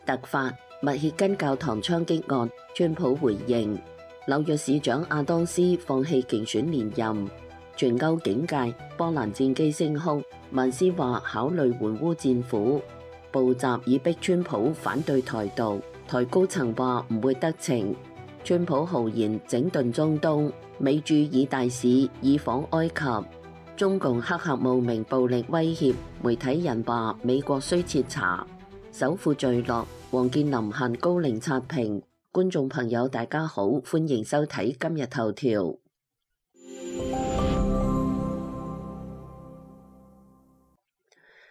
突發密歇根教堂槍擊案，川普回應。紐約市長亞當斯放棄競選連任。全歐警戒，波蘭戰機升空，文斯話考慮援烏戰苦。布什以逼川普反對台獨，台高層話唔會得逞。川普豪言整頓中東，美駐以大使以訪埃及。中共黑客冒名暴力威脅，媒體人話美國需徹查。首富墜落，王健林限高齡刷屏。觀眾朋友大家好，歡迎收睇今日頭條。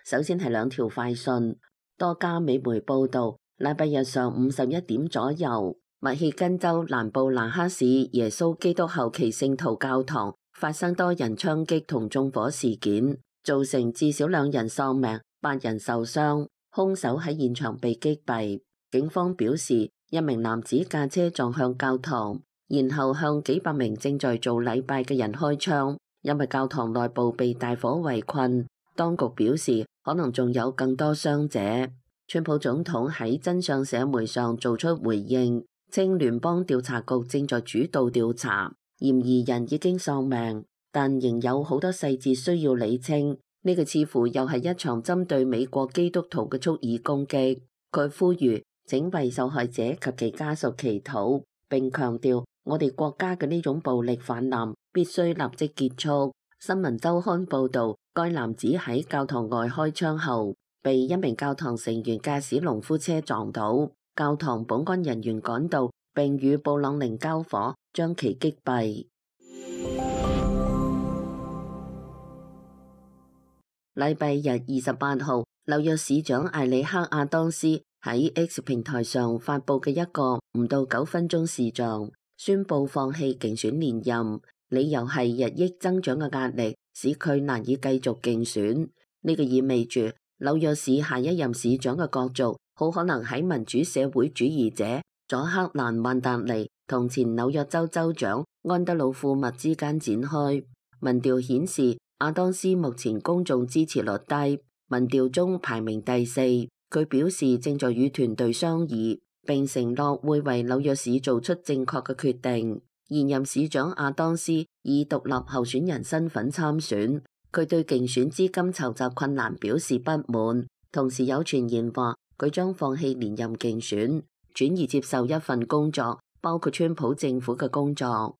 首先係兩條快訊，多家美媒報道，禮拜日上午11點左右，密歇根州蘭布蘭克市耶穌基督後期聖徒教堂發生多人槍擊同縱火事件，造成至少2人喪命，8人受傷，兇手喺現場被擊斃。警方表示，一名男子駕車撞向教堂，然後向幾百名正在做禮拜嘅人開槍，因為教堂內部被大火圍困。當局表示，可能仲有更多傷者。川普總統喺真相社媒上做出回應，稱聯邦調查局正在主導調查，嫌疑人已經喪命，但仍有好多細節需要理清。呢個似乎又係一場針對美國基督徒嘅蓄意攻擊。佢呼籲請為受害者及其家屬祈禱，並強調我哋國家嘅呢種暴力泛濫必須立即結束。新聞週刊報導，該男子喺教堂外開槍後，被一名教堂成員駕駛農夫車撞倒，教堂保安人員趕到並與布朗寧交火，將其擊斃。禮拜日28號，紐約市長艾里克亞當斯喺 X 平台上發佈嘅一個唔到9分鐘視像，宣布放棄競選連任，理由係日益增長嘅壓力使佢難以繼續競選。呢個意味住紐約市下一任市長嘅角逐好可能喺民主社會主義者佐克蘭曼達尼同前紐約州州長安德魯庫密之間展開。民調顯示亞當斯目前公眾支持率低，民調中排名第4。佢表示正在與團隊商議，並承諾會為紐約市做出正確嘅決定。現任市長亞當斯以獨立候選人身份參選，佢對競選資金籌集困難表示不滿，同時有傳言話佢將放棄連任競選，轉而接受一份工作，包括川普政府嘅工作。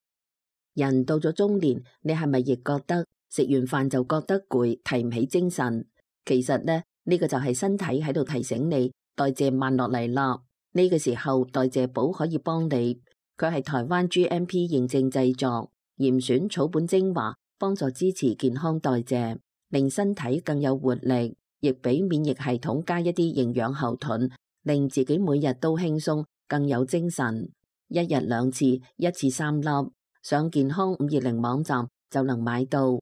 人到咗中年，你係咪亦覺得食完飯就覺得攰，提唔起精神？其實呢個就係身體喺度提醒你代謝慢落嚟啦。呢個時候代謝寶可以幫你。佢係台灣 GMP 認證製作，嚴選草本精華，幫助支持健康代謝，令身體更有活力，亦俾免疫系統加一啲營養後盾，令自己每日都輕鬆，更有精神。1日2次，一次3粒，上健康520網站就能買到。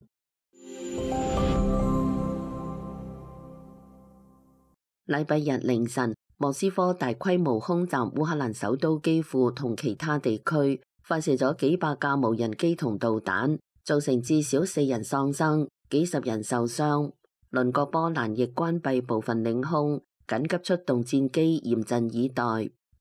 禮拜日凌晨，莫斯科大規模空襲烏克蘭首都基輔同其他地區，發射咗幾百架無人機同導彈，造成至少4人喪生，幾十人受傷。鄰國波蘭亦關閉部分領空，緊急出動戰機嚴陣以待。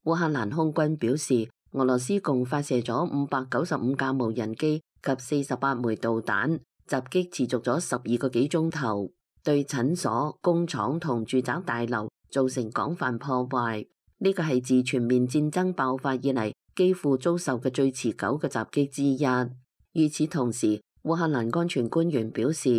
烏克蘭空軍表示，俄羅斯共發射咗595架無人機及48枚導彈，襲擊持續咗12個幾鐘頭，對診所、工廠同住宅大樓造成廣泛破壞。呢個係自全面戰爭爆發以嚟幾乎遭受嘅最持久嘅襲擊之一。與此同時，烏克蘭安全官員表示，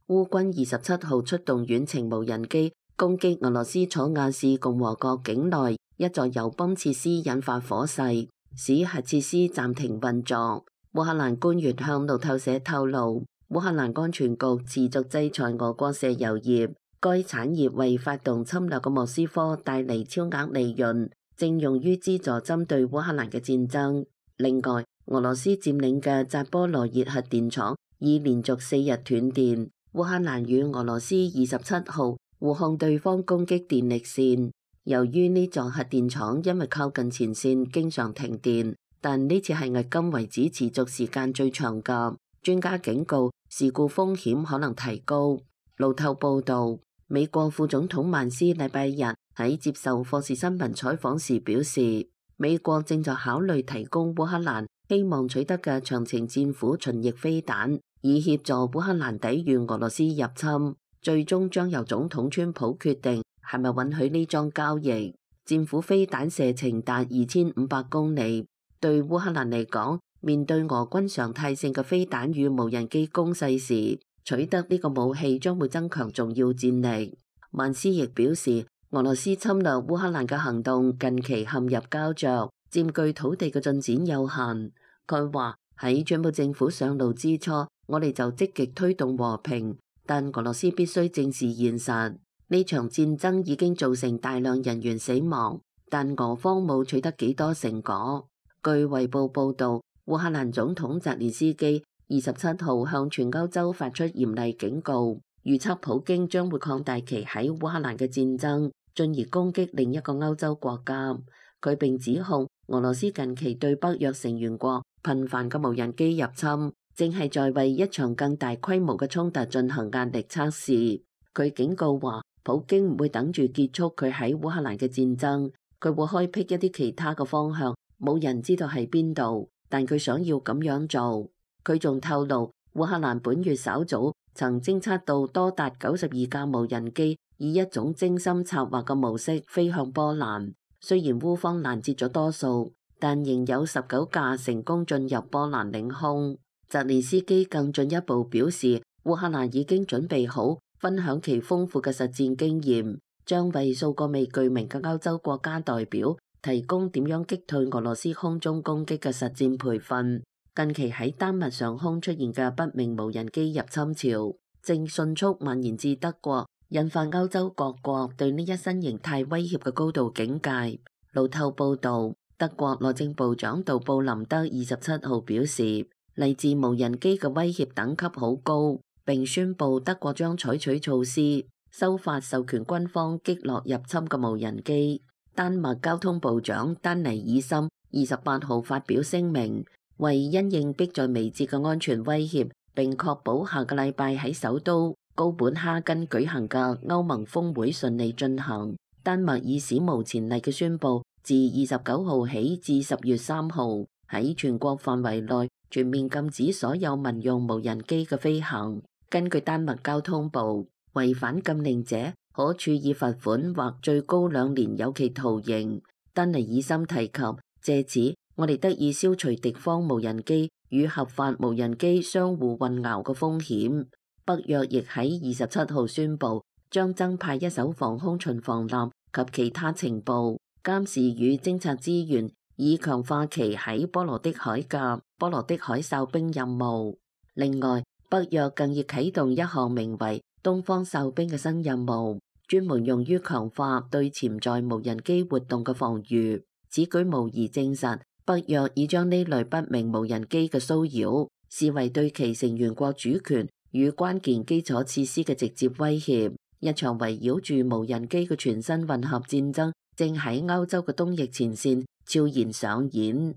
烏軍27號出動遠程無人機攻擊俄羅斯楚瓦市共和國境內一座油泵設施，引發火勢，使核設施暫停運作。烏克蘭官員向路透社透露，烏克蘭安全局持續制裁俄國石油業，該產業為發動侵略嘅莫斯科帶嚟超額利潤，正用於資助針對烏克蘭嘅戰爭。另外，俄羅斯佔領嘅扎波羅熱核電廠已連續4日斷電，烏克蘭與俄羅斯27號互控對方攻擊電力線。由於呢座核電廠因為靠近前線，經常停電，但呢次係迄今為止持續時間最長㗎。專家警告，事故風險可能提高。路透報道，美國副總統曼斯禮拜日喺接受霍士新聞採訪時表示，美國正在考慮提供烏克蘭希望取得嘅長程戰斧巡弋飛彈，以協助烏克蘭抵禦俄羅斯入侵。最終將由總統川普決定係咪允許呢樁交易。戰斧飛彈射程達2500公里，對烏克蘭嚟講，面對俄軍常態性嘅飛彈與無人機攻勢時，取得呢個武器將會增強重要戰力。曼斯亦表示，俄羅斯侵略烏克蘭嘅行動近期陷入膠着，佔據土地嘅進展有限。佢話喺川普政府上路之初，我哋就積極推動和平，但俄羅斯必須正視現實。呢場戰爭已經造成大量人員死亡，但俄方冇取得幾多成果。據衛報報導，烏克蘭總統澤連斯基27號向全歐洲發出嚴厲警告，預測普京將會擴大其喺烏克蘭嘅戰爭，進而攻擊另一個歐洲國家。佢並指控俄羅斯近期對北約成員國頻繁嘅無人機入侵，正係在為一場更大規模嘅衝突進行壓力測試。佢警告話，普京唔會等住結束佢喺烏克蘭嘅戰爭，佢會開闢一啲其他嘅方向，冇人知道喺邊度，但佢想要咁樣做。佢仲透露，烏克蘭本月稍早曾偵測到多達92架無人機以一種精心策劃嘅模式飛向波蘭。雖然烏方攔截咗多數，但仍有19架成功進入波蘭領空。澤連斯基更進一步表示，烏克蘭已經準備好分享其豐富嘅實戰經驗，將為數個未具名嘅歐洲國家代表提供點樣擊退俄羅斯空中攻擊嘅實戰培訓。近期喺丹麥上空出現嘅不明無人機入侵潮，正迅速蔓延至德國，引發歐洲各國對呢一新形態威脅嘅高度警戒。路透報導，德國內政部長杜布林德27號表示，嚟自無人機嘅威脅等級好高，並宣布德國將採取措施，修法授權軍方擊落入侵嘅無人機。丹麥交通部長丹尼爾森28號發表聲明，為因應迫在眉睫嘅安全威脅，並確保下個禮拜喺首都高本哈根舉行嘅歐盟峰會順利進行，丹麥以史無前例嘅宣布，自29號起至10月3號喺全國範圍內全面禁止所有民用無人機嘅飛行。根據丹麥交通部，違反禁令者可處以罰款或最高2年有期徒刑。丹尼爾森提及，借此我哋得以消除敵方無人機與合法無人機相互混淆嘅風險。北約亦喺27號宣布，將增派一艘防空巡防艦及其他情報、監視與偵察資源，以強化其喺波羅的海嘅波羅的海哨兵任務。另外，北約更已啟動一項名為東方哨兵嘅新任務，專門用於強化對潛在無人機活動嘅防禦。此舉無疑證實，北約已將呢類不明無人機嘅騷擾視為對其成員國主權與關鍵基礎設施嘅直接威脅。一場圍繞住無人機嘅全新混合戰爭正喺歐洲嘅東翼前線悄然上演。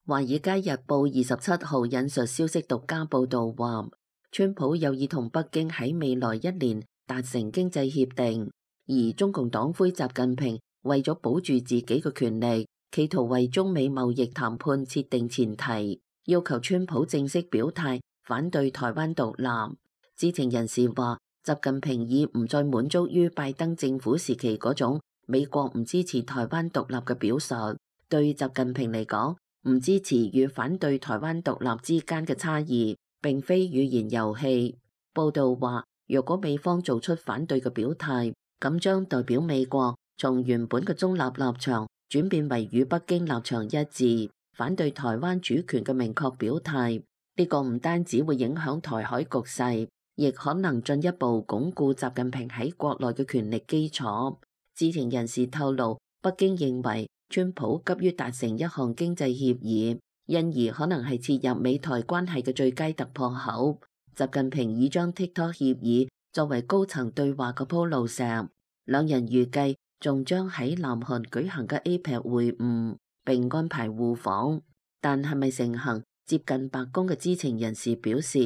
《華爾街日報》27號引述消息獨家報導話，川普有意同北京喺未來1年達成經濟協定，而中共黨魁習近平為咗保住自己嘅權力，企圖為中美貿易談判設定前提，要求川普正式表態反對台灣獨立。知情人士話，習近平已唔再滿足於拜登政府時期嗰種美國唔支持台灣獨立嘅表述。對習近平嚟講，唔支持與反對台灣獨立之間嘅差異並非語言遊戲。報道話，若果美方做出反對嘅表態，咁將代表美國從原本嘅中立立場轉變為與北京立場一致，反對台灣主權嘅明確表態。呢個唔單止會影響台海局勢，亦可能進一步鞏固習近平喺國內嘅權力基礎。知情人士透露，北京認為川普急於達成一項經濟協議，因而可能係切入美台關係嘅最佳突破口。習近平已將 TikTok 協議作為高層對話嘅鋪路石，兩人預計仲將喺南韓舉行嘅 APEC 會晤並安排互訪，但係咪成行？接近白宮嘅知情人士表示，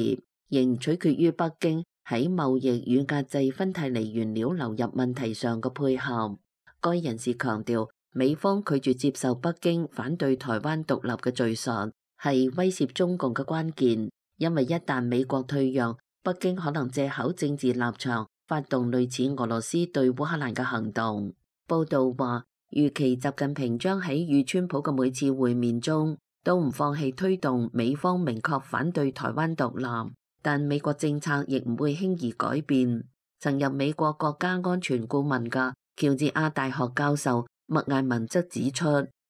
仍取決於北京喺貿易與壓制芬太尼原料流入問題上嘅配合。該人士強調，美方拒絕接受北京反對台灣獨立嘅敘述，係威脅中共嘅關鍵，因為一旦美國退讓，北京可能藉口政治立場發動類似俄羅斯對烏克蘭嘅行動。報道話，預期習近平將喺與川普嘅每次會面中都唔放棄推動美方明確反對台灣獨立，但美國政策亦唔會輕易改變。曾任美國國家安全顧問嘅喬治亞大學教授麥艾文則指出，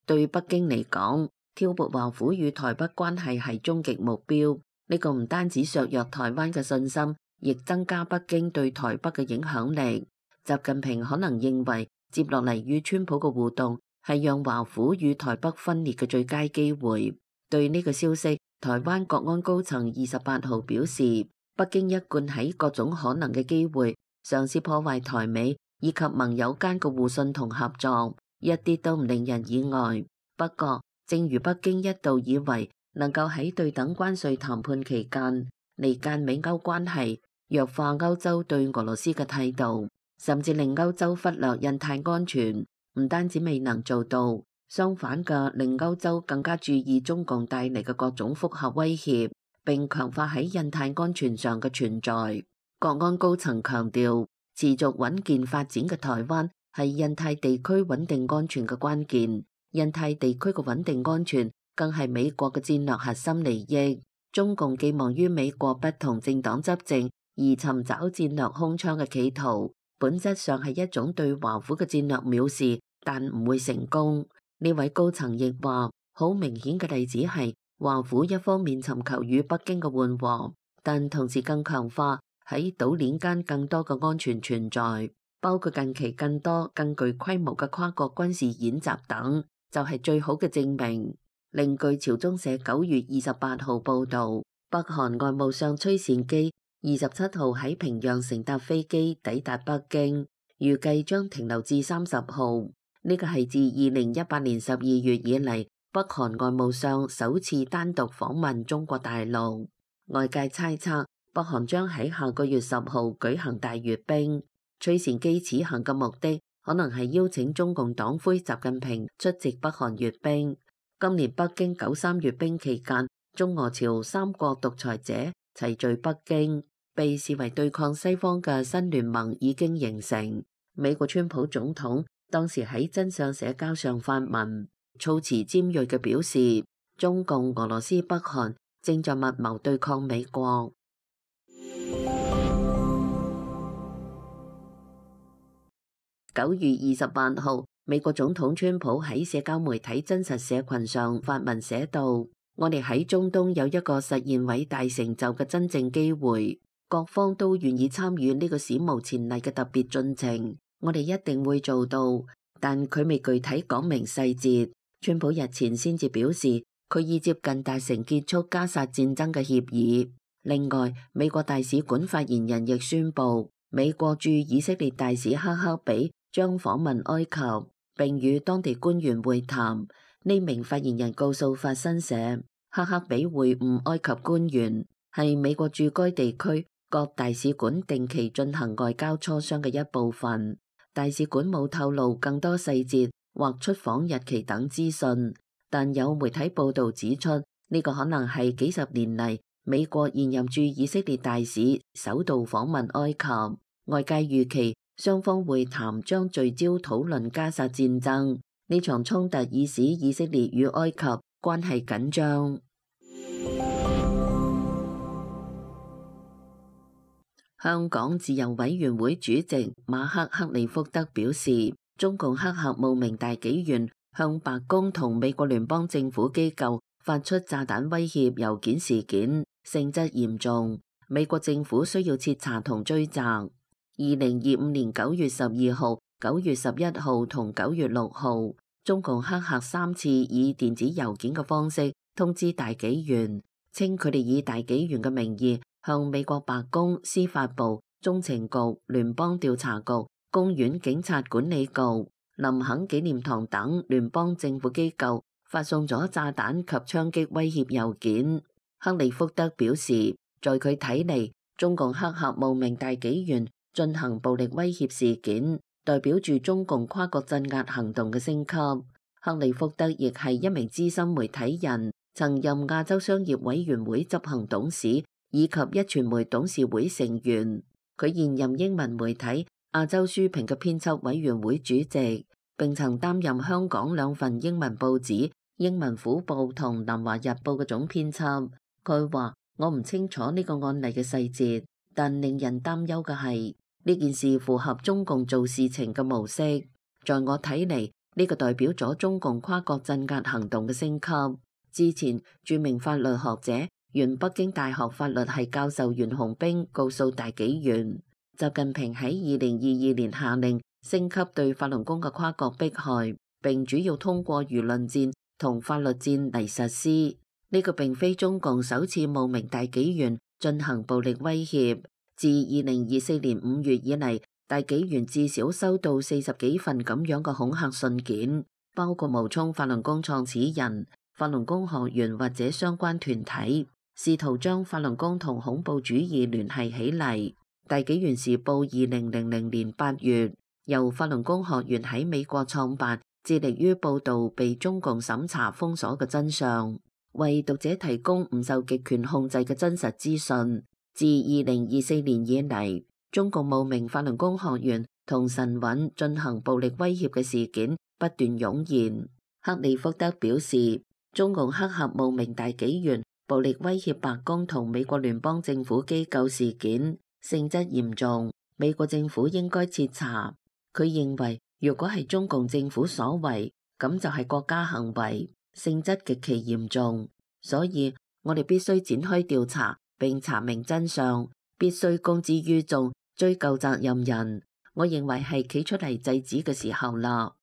對北京嚟講，挑撥華府與台北關係係終極目標。呢個唔單止削弱台灣嘅信心，亦增加北京對台北嘅影響力。習近平可能認為，接落嚟與川普嘅互動係讓華府與台北分裂嘅最佳機會。對呢個消息，台灣國安高層28號表示，北京一貫喺各種可能嘅機會嘗試破壞台美以及盟友間嘅互信同合作，一啲都唔令人意外。不過，正如北京一度以為能夠喺對等關稅談判期間離間美歐關係，弱化歐洲對俄羅斯嘅態度，甚至令歐洲忽略印太安全，唔單止未能做到，相反嘅令歐洲更加注意中共帶嚟嘅各種複合威脅，並強化喺印太安全上嘅存在。國安高層強調，持續穩健發展嘅台灣係印太地區穩定安全嘅關鍵，印太地區嘅穩定安全更係美國嘅戰略核心利益。中共寄望於美國不同政黨執政而尋找戰略空窗嘅企圖，本質上係一種對華府嘅戰略藐視，但唔會成功。呢位高層亦話，好明顯嘅例子係華府一方面尋求與北京嘅緩和，但同時更強化喺島鏈間更多嘅安全存在，包括近期更多更具規模嘅跨國軍事演習等，就係最好嘅證明。另據朝中社9月28號報導，北韓外務相崔善基27號喺平壤乘搭飛機抵達北京，預計將停留至30號。呢個係自2018年12月以嚟，北韓外務相首次單獨訪問中國大陸。外界猜測，北韓將喺下個月10號舉行大閱兵。崔善基此行嘅目的，可能係邀請中共黨魁習近平出席北韓閱兵。今年北京93閱兵期間，中俄朝三國獨裁者齊聚北京，被視為對抗西方嘅新聯盟已經形成。美國川普總統當時喺真相社交上發文，措辭尖銳嘅表示，中共、俄羅斯、北韓正在密謀對抗美國。9月28號，美國總統川普喺社交媒體真實社群上發文寫道：我哋喺中東有一個實現偉大成就嘅真正機會，各方都願意參與呢個史無前例嘅特別進程，我哋一定會做到，但佢未具體講明細節。川普日前先至表示，佢已接近達成結束加薩戰爭嘅協議。另外，美國大使館發言人亦宣布，美國駐以色列大使克克比將訪問埃及，並與當地官員會談。呢名發言人告訴法新社，克克比會晤埃及官員係美國駐該地區各大使館定期進行外交磋商嘅一部分。大使館冇透露更多細節或出訪日期等資訊，但有媒體報道指出，呢個可能係幾十年嚟美國現任駐以色列大使首度訪問埃及。外界預期雙方會談將聚焦討論加薩戰爭。呢場衝突已使以色列與埃及關係緊張。香港自由委員會主席馬克·克里福德表示，中共黑客冒名大紀元向白宮同美國聯邦政府機構發出炸彈威脅郵件事件性質嚴重，美國政府需要徹查同追責。2025年9月12號、9月11號同9月6號，中共黑客3次以電子郵件嘅方式通知大紀元，稱佢哋以大紀元嘅名義向美國白宮、司法部、中情局、聯邦調查局、公園警察管理局、林肯紀念堂等聯邦政府機構發送咗炸彈及槍擊威脅郵件。克里福德表示，在佢睇嚟，中共黑客冒名大紀元進行暴力威脅事件，代表住中共跨國鎮壓行動嘅升級。克里福德亦係一名資深媒體人，曾任亞洲商業委員會執行董事以及壹傳媒董事會成員。佢現任英文媒體亞洲書評嘅編輯委員會主席，並曾擔任香港兩份英文報紙《英文虎報》同《南華日報》嘅總編輯。佢話：我唔清楚呢個案例嘅細節，但令人擔憂嘅係呢件事符合中共做事情嘅模式。在我睇嚟，呢個代表咗中共跨國鎮壓行動嘅升級。之前，著名法律學者、原北京大學法律系教授袁洪兵告訴大紀元，習近平喺2022年下令升級對法輪功嘅跨國迫害，並主要通過輿論戰同法律戰嚟實施。呢個並非中共首次冒名大紀元進行暴力威脅。自2024年5月以嚟，大紀元至少收到40幾份咁樣嘅恐嚇信件，包括冒充法輪功創始人、法輪功學員或者相關團體，試圖將法輪功同恐怖主義聯繫起嚟。大紀元時報2000年8月由法輪功學員喺美國創辦，致力於報導被中共審查封鎖嘅真相，為讀者提供唔受極權控制嘅真實資訊。自2024年以嚟，中共冒名法輪功學員同神韻進行暴力威脅嘅事件不斷湧現。克里福德表示，中共黑客冒名大紀元暴力威脅白宮同美國聯邦政府機構事件性質嚴重，美國政府應該徹查。佢認為，如果係中共政府所為，咁就係國家行為，性質極其嚴重。所以我哋必須展開調查並查明真相，必須公之於眾，追究責任人。我認為係企出嚟制止嘅時候啦。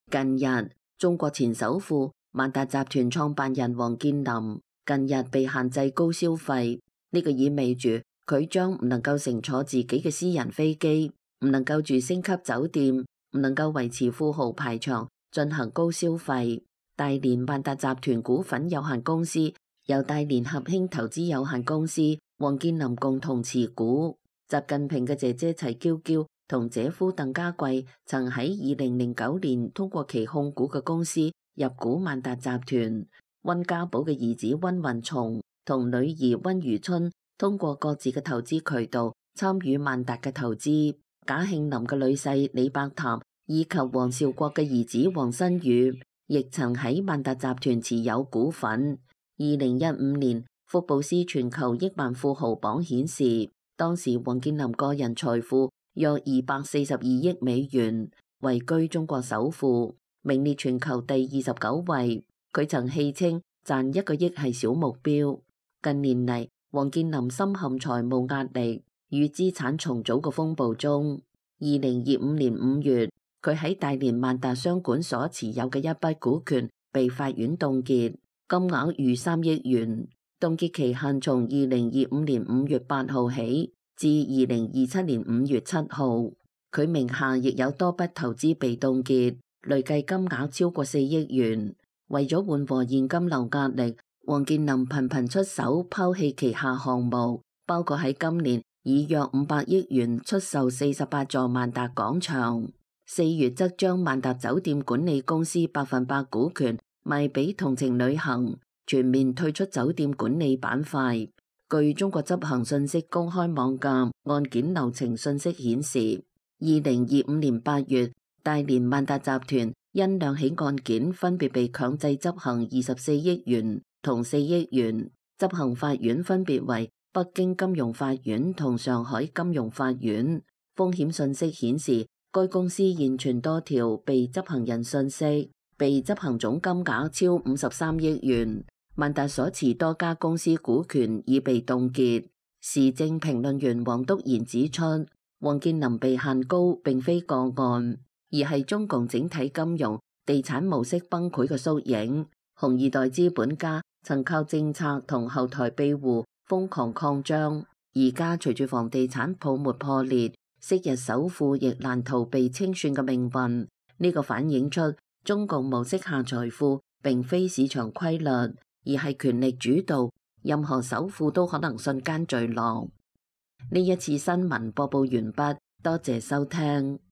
近日，中國前首富萬達集團創辦人王健林近日被限制高消費，呢個意味住佢將唔能夠乘坐自己嘅私人飛機，唔能夠住星級酒店，唔能夠維持富豪排場進行高消費。大連萬達集團股份有限公司由大連合興投資有限公司、王健林共同持股。習近平嘅姐姐齊嬌嬌同姐夫鄧家貴曾喺2009年通過其控股嘅公司入股萬達集團。溫家寶嘅兒子溫雲松同女兒溫如春通過各自嘅投資渠道參與萬達嘅投資。賈慶林嘅女婿李伯談以及王兆國嘅兒子王新宇亦曾喺萬達集團持有股份。2015年福布斯全球億萬富豪榜顯示，當時王健林個人財富約242億美元，位居中國首富，名列全球第29位。佢曾戲稱賺1個億係小目標。近年嚟，王健林深陷財務壓力與資產重組嘅風暴中。2025年5月，佢喺大連萬達商管所持有嘅一筆股權被法院凍結，金額逾3億元。凍結期限從2025年5月8號起至2027年5月7號。佢名下亦有多筆投資被凍結，累計金額超過4億元。為咗緩和現金流壓力，王健林頻頻出手拋棄旗下項目，包括喺今年以約500億元出售48座萬達廣場，4月則將萬達酒店管理公司100%股權賣俾同程旅行，全面退出酒店管理板塊。據中國執行信息公開網站案件流程信息顯示，2025年8月，大連萬達集團因兩起案件分別被強制執行24億元同4億元，執行法院分別為北京金融法院同上海金融法院。風險信息顯示，該公司現存多條被執行人信息，被執行總金額超53億元。萬達所持多家公司股權已被凍結。時政評論員王篤賢指出，王健林被限高並非個案，而係中共整體金融地產模式崩潰嘅縮影。紅二代資本家曾靠政策同後台庇護瘋狂擴張，而家隨住房地產泡沫破裂，昔日首富亦難逃被清算嘅命運。呢個反映出中共模式下財富並非市場規律，而係權力主導，任何首富都可能瞬間墜落。呢一次新聞播報完畢，多謝收聽。